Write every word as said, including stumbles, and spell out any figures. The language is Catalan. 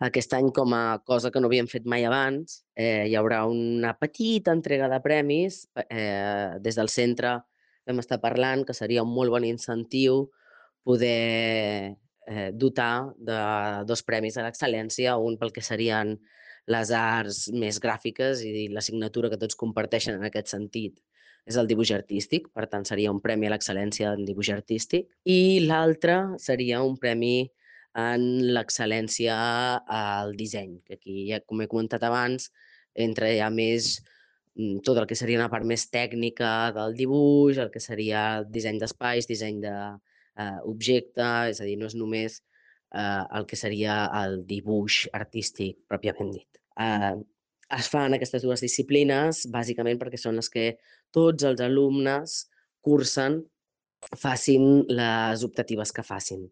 Aquest any, com a cosa que no havíem fet mai abans, eh, hi haurà una petita entrega de premis. Eh, des del centre vam estar parlant que seria un molt bon incentiu poder eh, dotar de dos premis a l'excel·lència, un pel que serien les arts més gràfiques i l'assignatura que tots comparteixen en aquest sentit és el dibuix artístic, per tant seria un premi a l'excel·lència en dibuix artístic, i l'altre seria un premi en l'excel·lència al disseny, que aquí, ja, com he comentat abans, entra ja més mm, tot el que seria una part més tècnica del dibuix, el que seria disseny d'espais, disseny d'objecte, és a dir, no és només eh, el que seria el dibuix artístic pròpiament dit. Eh, es fan aquestes dues disciplines bàsicament perquè són les que tots els alumnes cursen, facin les optatives que facin.